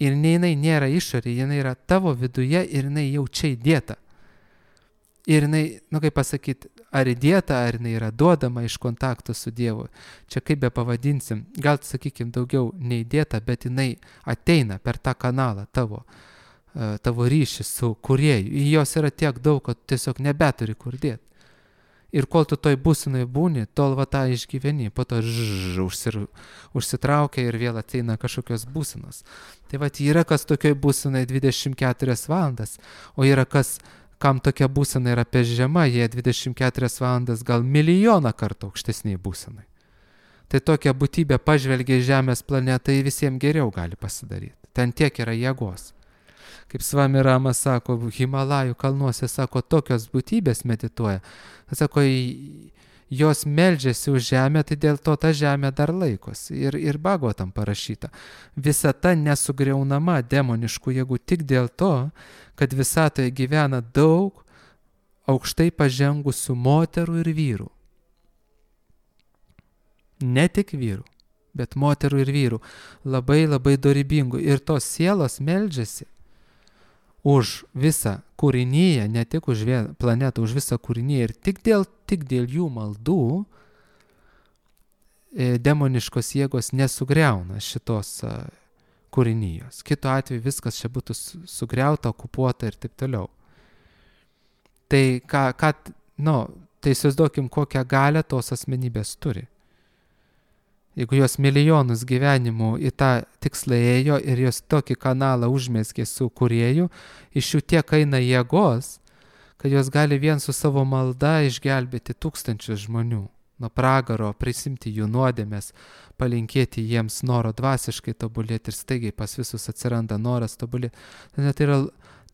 Ir ne jinai nėra išorė, jinai yra tavo viduje ir jinai jau čia įdėta. Ir jinai, nu kaip pasakyti, ar įdėta, ar jinai yra duodama iš kontakto su Dievu. Čia kaip be pavadinsim, gal sakykim daugiau neįdėta, bet jinai ateina per tą kanalą tavo, tavo ryšį su kūrėju. Ir jos yra tiek daug, kad tiesiog nebeturi kur dėti. Ir kol tu toj būsenai būni, tol va tą išgyveni, po to žžž, užsir, užsitraukia ir vėl ateina kažkokios būsenos. Tai va, yra kas tokioj būsenai dvidešimt keturias valandas, o yra kas kam tokia būsena yra pežiama, jie dvidešimt keturias valandas gal milijoną kartų aukštesniai būsenai. Tai tokia būtybė pažvelgia į Žemės planetą, tai visiems geriau gali pasidaryti. Ten tiek yra jėgos. Kaip Svami Rama sako, Himalajų kalnuose, sako, tokios būtybės medituoja. Sako, jos meldžiasi už žemę, tai dėl to ta žemė dar laikosi. Ir, ir Bhagavatam parašyta. Visata nesugriaunama demoniškų jėgų tik dėl to, kad visatoje gyvena daug aukštai pažengusių moterų ir vyrų. Ne tik vyrų, bet moterų ir vyrų. Labai labai dorybingų. Ir tos sielos meldžiasi už visą kūrinyje, ne tik už planetą, už visą kūrinyje. Ir tik dėl, tik dėl jų maldų e, demoniškos jėgos nesugriauna šitos a, kūrinyjos. Kitu atveju viskas čia būtų sugriauta, okupuota ir taip toliau. Tai, ką, ką, nu, tai įsivaizduokim, kokią galią tos asmenybės turi. Jeigu jos milijonus gyvenimų į tą tikslą ėjo ir jos tokį kanalą užmeskė su kūrėju, iš jų tiek eina jėgos, kad jos gali vien su savo malda išgelbėti tūkstančius žmonių. Nuo pragaro, prisimti jų nuodėmės, palinkėti jiems noro dvasiškai tobulėti ir staigiai pas visus atsiranda noras tobulėti. Tai yra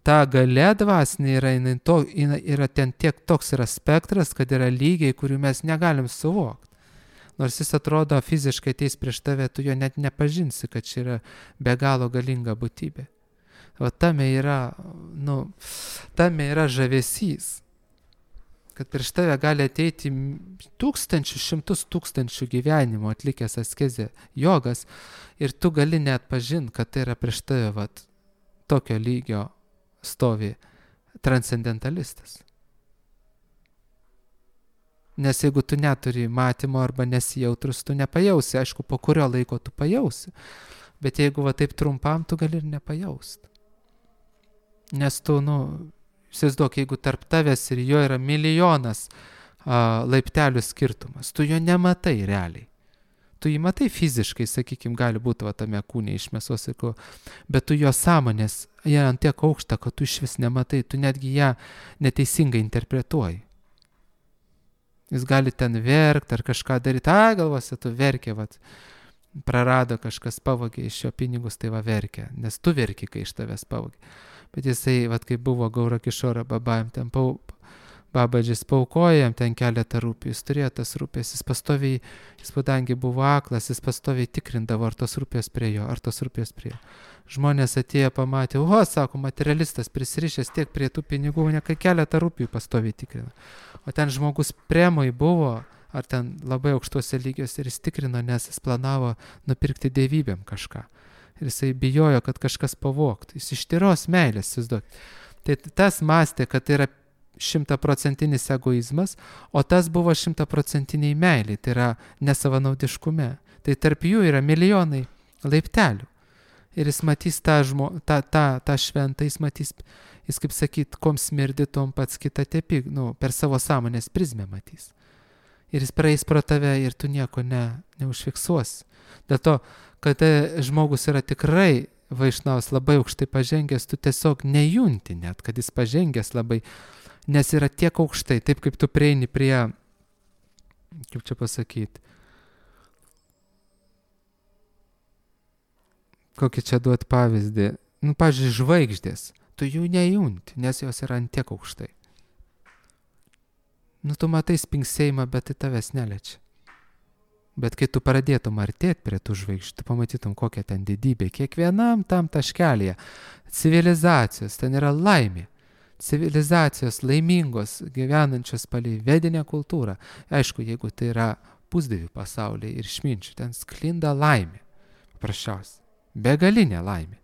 ta galia dvasinė yra, to, yra ten tiek toks yra spektras, kad yra lygiai, kurių mes negalim suvokti. Nors jis atrodo fiziškai ateis prieš tave, tu jo net nepažinsi, kad čia yra be galo galinga būtybė. O tame yra, nu, tame yra žavesys, kad prieš tave gali ateiti tūkstančių, šimtus tūkstančių gyvenimų atlikęs askezę jogas ir tu gali net pažinti, kad tai yra prieš tave vat, tokio lygio stovi transcendentalistas. Nes jeigu tu neturi matymo arba nesijautrus, tu nepajausi. Aišku, po kurio laiko tu pajausi. Bet jeigu va taip trumpam, tu gali ir nepajaust. Nes tu, nu, įsivaizduok, jeigu tarp tavęs ir jo yra milijonas a, laiptelių skirtumas, tu jo nematai realiai. Tu jį matai fiziškai, sakykime, gali būti va tame kūne iš mėsos, bet tu jo sąmonės, jie ant tiek aukšta, kad tu iš vis nematai, tu netgi ją neteisingai interpretuoji. Jis gali ten verkti ar kažką daryti, a, galvose tu verkė, vat, prarado kažkas, pavogė iš jo pinigus, tai va verkė, nes tu verki, kai iš tavęs pavogė. Bet jisai, vat, kai buvo Gaura Kišora babajam, ten pau, babadžis paukojo jam ten keletą rūpių, jis turėjo tas rūpės, jis pastoviai, jis kadangi buvo aklas, jis pastoviai tikrindavo, ar tos rūpės prie jo, ar tos rūpės prie jo. Žmonės atėjo, pamatė, o, sako, materialistas prisirišęs tiek prie tų pinigų, ne kai keletą rūpių pastoviai tikrino. O ten žmogus premoj buvo, ar ten labai aukštuose lygiuose ir jis tikrino, nes jis planavo nupirkti dievybėm kažką. Ir jisai bijojo, kad kažkas pavogtų. Jis iš tyros meilės, įsivaizduok. Tai tas mąstė, kad tai yra šimtaprocentinis egoizmas, o tas buvo šimtaprocentiniai meiliai, tai yra nesavanaudiškume. Tai tarp jų yra milijonai laiptelių. Ir jis matys tą, žmo, tą, tą, tą šventą, jis matys, jis kaip sakyt, kom smirdi, tom pats kitą tepi, nu, per savo sąmonės prizmę matys. Ir jis praeis pro tave ir tu nieko ne, neužfiksuosi. Dėl to, kad žmogus yra tikrai vaišnavas labai aukštai pažengęs, tu tiesiog nejunti net, kad jis pažengęs labai, nes yra tiek aukštai, taip kaip tu prieini prie, kaip čia pasakyti, kokį čia duot pavyzdį, nu, pavyzdžiui, žvaigždės, tu jų nejunti, nes jos yra ant tiek aukštai. Nu, tu matai spingsėjimą, bet tai tavęs neliečia. Bet kai tu pradėtum artėti prie tų žvaigždžių, tu pamatytum kokią ten didybę. Kiekvienam tam taškelėje civilizacijos, ten yra laimė. Civilizacijos laimingos, gyvenančios palei vedinę kultūrą. Aišku, jeigu tai yra pusdievių pasaulyje ir išminčių, ten sklinda laimė. Paprasčiausiai. Begalinė laimė.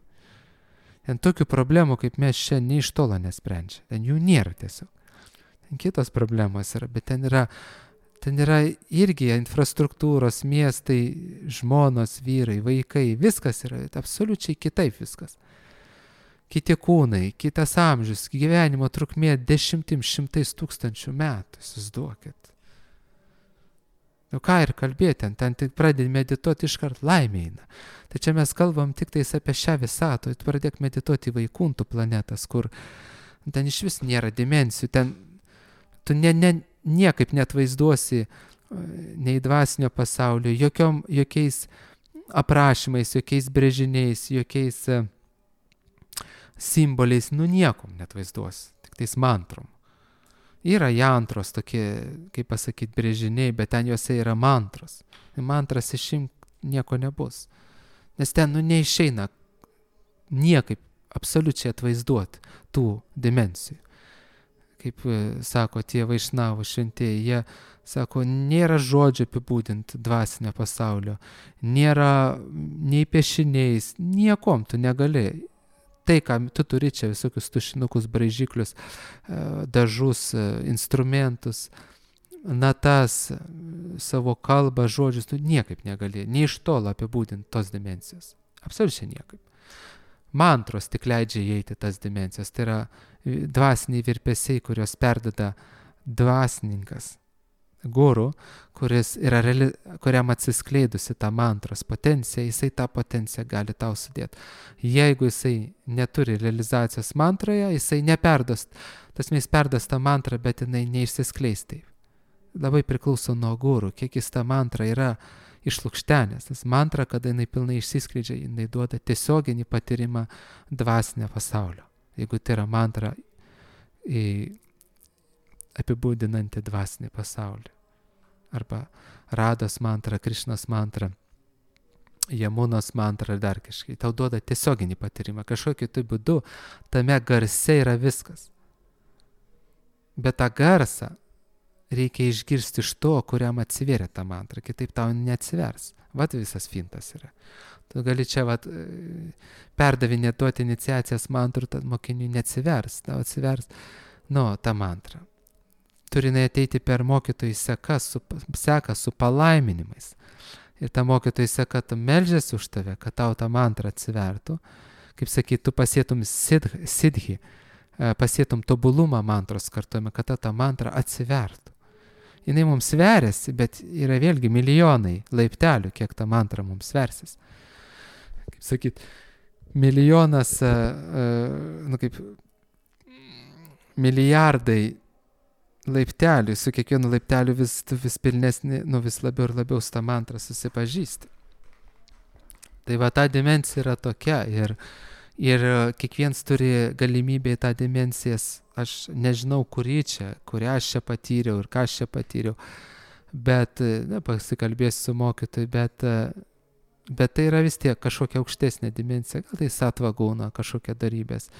Ten tokių problemų, kaip mes čia nei iš tolo nesprendžia. Ten jų nėra tiesiog. Ten kitos problemos yra, bet ten yra, ten yra irgi infrastruktūros, miestai, žmonos, vyrai, vaikai, viskas yra absoliučiai kitaip viskas. Kiti kūnai, kitas amžius, gyvenimo trukmė dešimtim šimtais tūkstančių metų, įsivaizduokit. Nu ką ir kalbėti, ten, ten tik pradedi medituoti iškart laimė eina. Tai čia mes kalbam tik tais apie šią visatą, tu pradėk medituoti į Vaikuntų planetas, kur ten iš vis nėra dimensijų, ten tu ne, ne, niekaip net vaizduosi nei dvasinio pasaulio, jokiom, jokiais aprašymais, jokiais brėžiniais, jokiais uh, simboliais, nu niekom net vaizduosi, tik tais mantrom. Yra jantros tokie, kaip pasakyti, brėžiniai, bet ten juose yra mantros. Mantras išimti nieko nebus. Nes ten, nu, neišeina niekaip absoliučiai atvaizduoti tų dimensijų. Kaip sako tie vaišnavų šventieji, jie sako, nėra žodžio apibūdinti dvasinio pasaulio, nėra nei piešiniais, niekom tu negali. Tai, ką tu turi čia visokius tušinukus, braižiklius, dažus, instrumentus, natas, savo kalbą, žodžius, tu niekaip negali, nei iš tolo apibūdinti tos dimensijos. Absoliučiai niekaip. Mantros tik leidžia įeiti tas dimensijas. Tai yra dvasiniai virpesiai, kurios perdeda dvasininkas, guru, kuris yra reali, kuriam atsiskleidusi tą mantros potenciją, jisai tą potenciją gali tau sudėti. Jeigu jisai neturi realizacijos mantroje, jisai neperdos, tas mes perdos tą mantrą, bet jinai neišsiskleis taip. Labai priklauso nuo guru, kiek jis tą mantrą yra išlukštenęs. Tas mantra, kada jinai pilnai išsiskleidžia, jinai duoda tiesioginį patyrimą dvasinio pasaulio. Jeigu tai yra mantra į apibūdinanti dvasinį pasaulį. Arba Rados mantra, Krišnos mantra, Jamunos mantra ir dar kažkai. Tau duoda tiesioginį patyrimą. Kažkokiu tai būdu tame garse yra viskas. Bet tą garsą reikia išgirsti iš to, kuriam atsivėrė tą mantrą. Kitaip tau neatsivers. Vat visas fintas yra. Tu gali čia vat, perdavinėti duoti iniciacijas mantrų, tad mokiniui neatsivers. Tau atsivers, nu, tą mantrą. turi ateiti per mokytojų seką su, seką su palaiminimais. Ir ta mokytojų seka, tu meldžiasi už tave, kad tau tą mantrą atsivertų. Kaip sakyt, tu pasėtum sidhi, sidhi, pasėtum tobulumą mantros kartuojame, kad ta, ta mantra atsivertų. Jinai mums veriasi, bet yra vėlgi milijonai laiptelių, kiek ta mantra mums versis. Kaip sakyt, milijonas, nu kaip, milijardai laiptelių, su kiekvienu laipteliu vis, vis pilnesnį, nu vis labiau ir labiau su tą mantrą susipažįsti. Tai va ta dimensija yra tokia ir, ir kiekvienas turi galimybę į tą dimensijas, aš nežinau, kurį čia, kurią aš čia patyriau ir ką aš čia patyriau, bet, na, pasikalbėsiu su mokytoju, bet, bet tai yra vis tiek kažkokia aukštesnė dimensija, gal tai sattva guna, kažkokia darybės.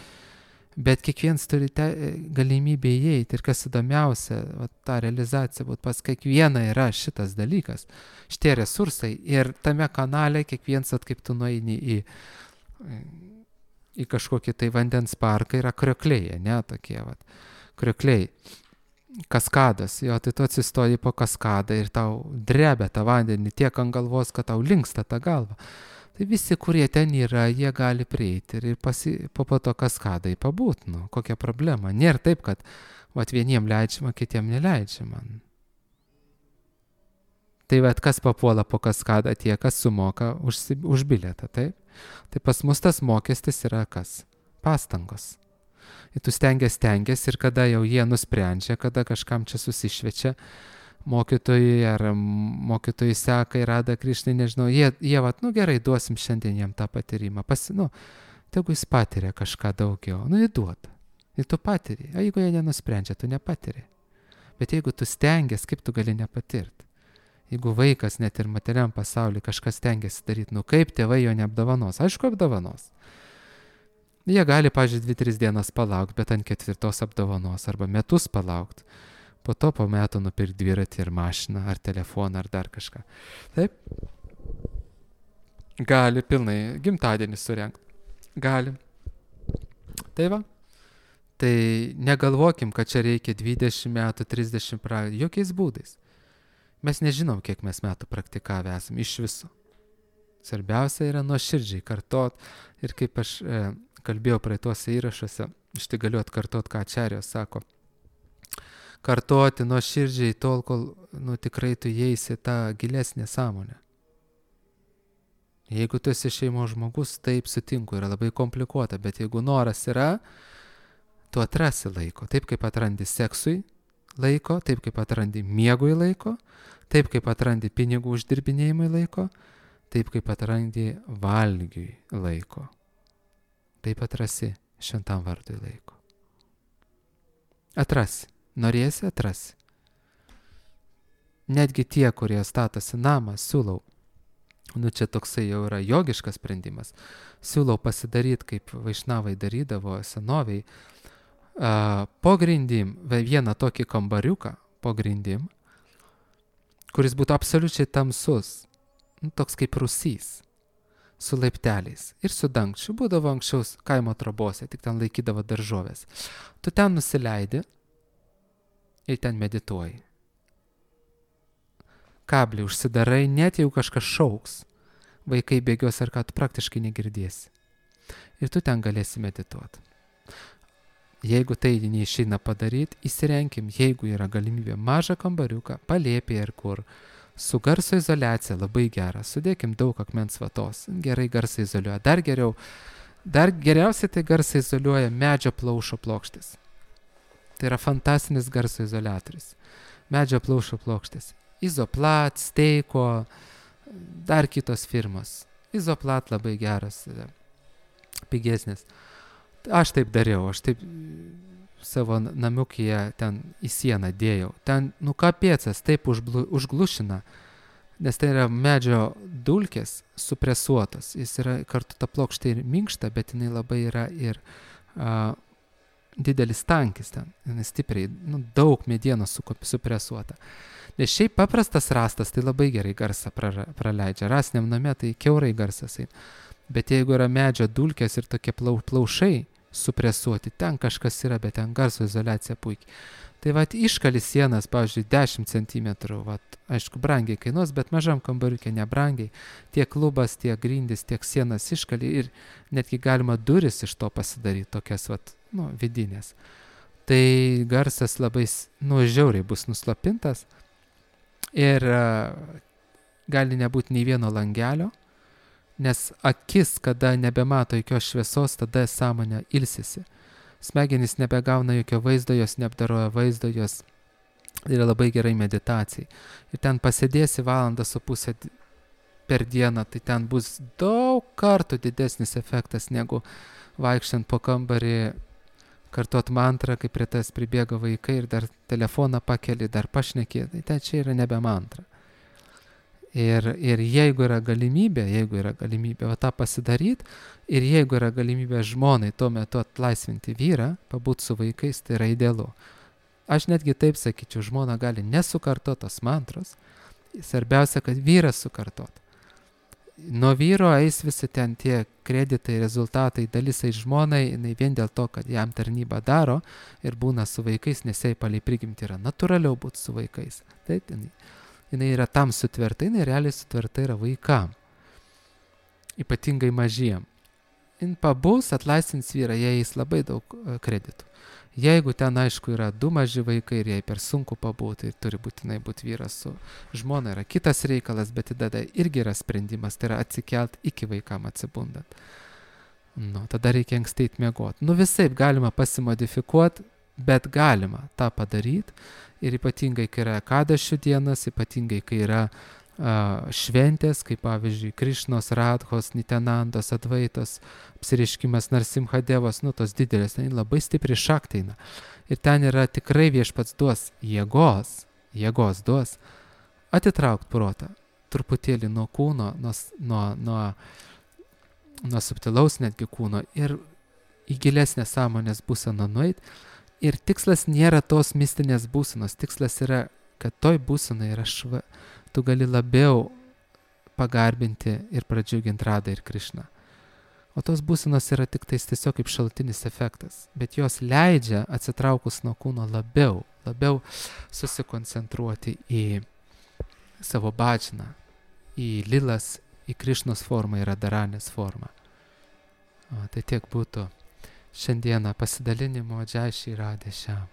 Bet kiekvienas turi te, galimybę įeiti ir kas įdomiausia, va, ta realizacija, būt pas kiekvieną yra šitas dalykas, šitie resursai ir tame kanale kiekvienas, at, kaip tu nueini į, į kažkokį tai vandens parką, yra kriokliai, ne, tokie, va, kriokliai, kaskadas, jo, tai tu atsistoji po kaskadą ir tau drebia tą vandenį tiek ant galvos, kad tau linksta tą galvą. Tai visi, kurie ten yra, jie gali prieiti ir pasi, po, po to kaskadai pabūt, nu, kokia problema. Nėra taip, kad vat, vieniem leidžiama, kitiem neleidžiama. Tai vat, kas papuola po kaskadą, tie, kas sumoka už, už bilietą, taip? Tai pas mus tas mokestis yra kas? Pastangos. Ir tu stengiasi, stengiasi ir kada jau jie nusprendžia, kada kažkam čia susišvečia, mokytojai ar mokytojai seka ir Rada Krišnai, nežinau, jie, jie vat, nu gerai, duosim šiandien jam tą patyrimą, pasi, nu, tegu jis patiria kažką daugiau, nu įduoda, ir tu patiri, o jeigu jie nenusprendžia, tu nepatiri, bet jeigu tu stengiasi, kaip tu gali nepatirti, jeigu vaikas net ir materiam pasaulyje kažkas stengiasi daryti, nu kaip tėvai jo neapdovanos, aišku apdovanos, jie gali, pažiūrėjau, dvi tris dienas palaukti, bet ant ketvirtos apdovanos, arba metus palaukti, po to po metų nupirkti dviratį ir mašiną, ar telefoną, ar dar kažką. Taip? Gali pilnai gimtadienį surengti. Gali. Tai va. Tai negalvokim, kad čia reikia dvidešimt metų, trisdešimt metų, jokiais būdais. Mes nežinom, kiek mes metų praktikavę esame iš viso. Svarbiausia yra nuoširdžiai kartot ir kaip aš e, kalbėjau praeituose įrašuose, aš tai galiu atkartot, ką Ačarijos sako. Kartoti nuoširdžiai tol, kol nu, tikrai tu įeisi tą gilesnę sąmonę. Jeigu tu esi šeimos žmogus, taip sutinku, yra labai komplikuota, bet jeigu noras yra, tu atrasi laiko. Taip kaip atrandi seksui laiko, taip kaip atrandi miegui laiko, taip kaip atrandi pinigų uždirbinėjimui laiko, taip kaip atrandi valgiui laiko. Taip atrasi šventam vardui laiko. Atrasi. Norėsi, atrasi. Netgi tie, kurie statosi namą, siūlau, nu čia toksai jau yra jogiškas sprendimas, siūlau pasidaryti, kaip vaišnavai darydavo senoviai, uh, po grindim, vieną tokį kambariuką po grindim, kuris būtų absoliučiai tamsus, nu, toks kaip rūsys, su laipteliais ir su dangčiu, būdavo anksčiau kaimo trobose, tik ten laikydavo daržovės. Tu ten nusileidi, ir ten medituoji. Kablį užsidarai, net jeigu kažkas šauks, vaikai bėgios ar ką, tu praktiškai negirdėsi. Ir tu ten galėsi medituoti. Jeigu tai neišeina padaryti, įsirenkim, jeigu yra galimybė mažą kambariuką, palėpė ir kur, su garso izoliacija labai gera, sudėkim daug akmens vatos, gerai garsą izoliuoja. Dar geriau, dar geriausiai tai garsą izoliuoja medžio plaušo plokštės. Tai yra fantastinis garso izoliatorius. Medžio plaušo plokštės. Izoplat, Steiko, dar kitos firmos. Izoplat labai geras, pigesnis. Aš taip dariau, aš taip savo namiukyje ten į sieną dėjau. Ten, nu kapėcas, taip užblu, užglušina, nes tai yra medžio dulkės supresuotos. Jis yra kartu ta plokštė ir minkšta, bet jinai labai yra ir a, didelis tankis ten, stipriai, nu, daug medienos supresuota. Nes šiaip paprastas rastas, tai labai gerai garsą praleidžia. Rastiniam name tai kiaurai garsas. Bet jeigu yra medžio dulkės ir tokie plau, plaušai, supresuoti. Ten kažkas yra, bet ten garso izoliacija puikiai. Tai vat iškali sienas, pavyzdžiui, dešimt centimetrų, vat, aišku, brangiai kainuos, bet mažam kambariukė nebrangiai. Tiek lubas, tiek grindis, tiek sienas iškali ir netgi galima duris iš to pasidaryti, tokias, vat, nu, vidinės. Tai garsas labai, nu, žiauriai bus nuslopintas ir uh, gali nebūti nei vieno langelio, nes akis, kada nebemato jokios šviesos, tada sąmonė ilsisi. Smegenys nebegauna jokio vaizdo, jos neapdaroja vaizdo, jos yra labai gerai meditacijai. Ir ten pasėdėsi valandą su pusę per dieną, tai ten bus daug kartų didesnis efektas, negu vaikščiant po kambarį, kartuot mantrą, kai prie tas pribėga vaikai ir dar telefoną pakeli, dar pašnekė. Tai ten čia yra nebe mantra. Ir, ir jeigu yra galimybė, jeigu yra galimybė va tą pasidaryti, ir jeigu yra galimybė žmonai tuo metu atlaisvinti vyrą, pabūti su vaikais, tai yra idealu. Aš netgi taip sakyčiau, žmona gali nesukartot tos mantros, svarbiausia, kad vyras sukartot. Nuo vyro eis visi ten tie kreditai, rezultatai, dalis eis žmonai, jinai vien dėl to, kad jam tarnybą daro ir būna su vaikais, nes jai palei prigimti yra natūraliau būti su vaikais. Taip, jinai. Jinai yra tam sutverta, jinai realiai sutverta yra vaikam, ypatingai mažiem. Jin pabus, atlaisvins vyrą, jai eis labai daug kreditų. Jeigu ten, aišku, yra du maži vaikai ir jai per sunku pabūti, tai turi būtinai būti vyras su žmona, yra kitas reikalas, bet tada irgi yra sprendimas, tai yra atsikelt iki vaikam atsibundant. Nu, tada reikia anksteit miegoti. Nu, visaip galima pasimodifikuoti, bet galima tą padaryti. Ir ypatingai, kai yra kadašių dienas, ypatingai, kai yra uh, šventės, kaip pavyzdžiui, Krišnos, Radhos, Nitenandos, Advaitos, apsireiškimas Narsimhadevos, nu tos didelės, ten labai stipri šakteina. Ir ten yra tikrai viešpats duos jėgos, jėgos duos atitraukt protą, truputėlį nuo kūno, nuo, nuo, nuo, nuo subtilaus netgi kūno ir į gilesnę sąmonės būseną nueit. Ir tikslas nėra tos mistinės būsenos, tikslas yra, kad toj būsenai yra šva, tu gali labiau pagarbinti ir pradžiuginti Radą ir Krišną. O tos būsenos yra tik tais tiesiog kaip šalutinis efektas, bet jos leidžia atsitraukus nuo kūno labiau, labiau susikoncentruoti į savo bhajaną, į lilas, į Krišnos formą, į Radharanės formą. O, tai tiek būtų šiandieną pasidalinimo Džai Šri Radhe Šiam.